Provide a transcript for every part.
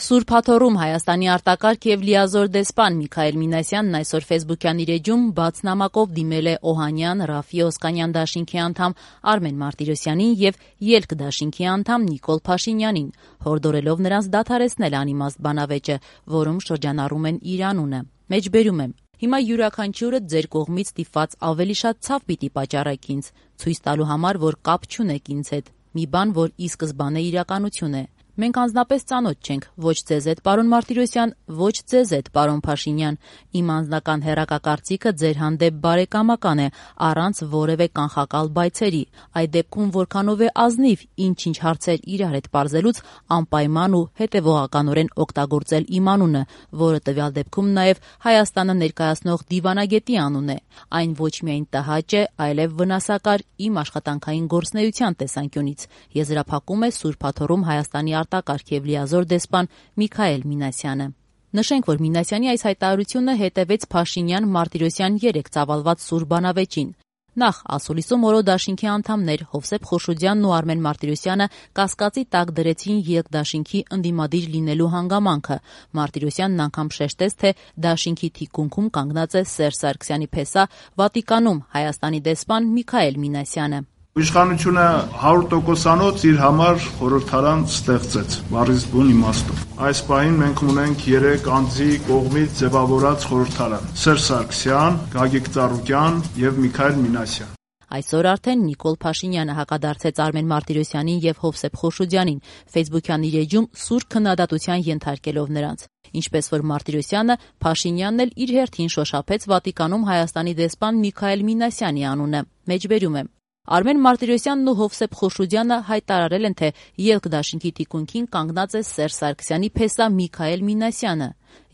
Սուրբ Աթոռում Հայաստանի արտակարգ եւ լիազոր դեսպան Միքայել Մինասյանն այսօր ֆեյսբուքյան իր էջում բաց նամակով դիմել է Օհանյան, Ռաֆի Օսկանյան դաշինքի անդամ Արմեն Մարտիրոսյանին եւ Ելք դաշինքի անդամ Նիկոլ Փաշինյանին, հորդորելով նրանց դադարեցնել անիմաստ բանավեճը, որում շրջանառում են իր անունը։ Մեջբերում եմ. Հիմա յուրաքանչյուրը ձեր կողմից ստիպված ավելի շատ ցավ պիտի պատճառեք ինձ, ցույց տալու համար, որ կապ չունեք ինձ հետ, մի բան, որ ի սկզբանե իրականություն է։ Մենք անձնապես ծանոթ չենք, ոչ ձեզ հետ, պարոն Մարտիրոսյան, ոչ ձեզ հետ, պարոն Փաշինյան։ Իմ անձնական հեռակակարծիքը ձեր հանդեպ բարեկամական է, առանց որևէ կանխակալ բայցերի։ Այդ դեպքում որքանով է ազնիվ ինչ-ինչ հարցեր իրար հետ պարզելուց անպայման ու հետևողականորեն օգտագործել իմ անունը, որը տվյալ դեպքում նաև Հայաստանը ներկայացնող դիվանագետի անուն է։ Այն ոչ միայն տհաճ է, այլև վնասակար իմ աշխատանքային գործունեության տեսանկյունից, եզրափակում է Սուրբ Աթոռում Հայաստանի արտակարգ եւ լիազոր դեսպան Միքայել Մինասյանը։ Նշենք, որ Մինասյանի այս հայտարարությունը հետևեց Փաշինյան-Մարտիրոսյան 3 ծավալված սուր բանավեճին։ Նախ ասուլիսում օրո դաշինքի անդամներ Հովսեփ Խոշոդյանն ու Արմեն Մարտիրոսյանը կասկածի տակ դրեցին Ելք դաշինքի ընդդիմադիր լինելու հանգամանքը։ Մարտիրոսյանն անգամ շեշտեց, թե դաշինքի թիկունքում կանգնած է Սերժ Սարգսյանի փեսա Վատիկանում Հայաստանի դեսպան Միքայել Մինասյանը։ Իշխանությունը 100%-անոց իր համար խորհրդարան ստեղծեց, բառից բուն իմաստով։ Այս պահին մենք ունենք 3 անձի կողմից ձևավորած խորհրդարան՝ Սերժ Սարգսյան, Գագիկ Ծառուկյան եւ Միքայել Մինասյան։ Այսօր արդեն Նիկոլ Փաշինյանը հակադարձեց Արմեն Մարտիրոսյանին եւ Հովսեփ Խոշոդյանին, ֆեյսբուքյան իր էջում սուր քննադատության ենթարկելով նրանց։ Ինչպես որ Մարտիրոսյանը, Փաշինյանն էլ իր հերթին շոշափեց Վատիկանում Հայաստանի դեսպան Միքայել Մինասյանի անունը։ Մեջբերում եմ. Արմեն Մարտիրոսյանն ու Հովսեփ Խոշոդյանը հայտարարել են, թե Ելք դաշինքի թիկունքին կանգնած է Սերժ Սարգսյանի փեսա Միքայել Մինասյանը։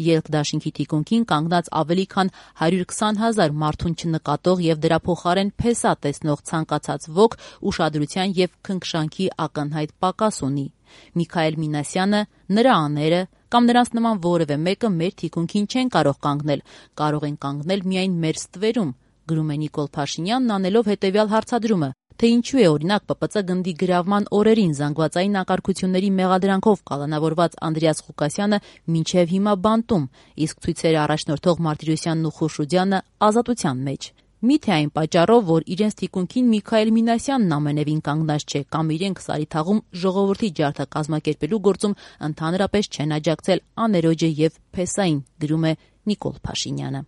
Ելք դաշինքի թիկունքին կանգնած ավելի քան 120,000 մարդուն չնկատող եւ դրա փոխարեն փեսա տեսնող ցանկացած ոք ուշադրության եւ քնքշանքի ակնհայտ պակաս ունի։ Միքայել Մինասյանը, նրա աները կամ նրանց նման որևէ մեկը մեր թիկունքին չեն կարող կանգնել, կարող են կանգնել միայն մեր ստվերում, գրում է Նիկոլ Փաշինյանն անելով հետևյալ հարցադրումը, թե ինչու է օրինակ ՊՊՑ գնդի գրավման օրերին զանգվածային անկարգությունների մեղադրանքով կալանավորված Անդրեաս Ղուկասյանը մինչև հիմա բանտում, իսկ ցույցերը առաջնորդող Մարտիրոսյանն ու Խոշոդյանը ազատության մեջ։ Միթե այն պատճառով, որ իրենց թիկունքին Միքայել Մինասյանն ամենևին կանգնած չէ կամ իրենք Սարիթաղում ժողովրդի ջարդը կազմակերպելու գործում ընդհանրապես չեն աջակցել աներոջը եւ փեսային, գրում է Նիկոլ Փաշինյանը։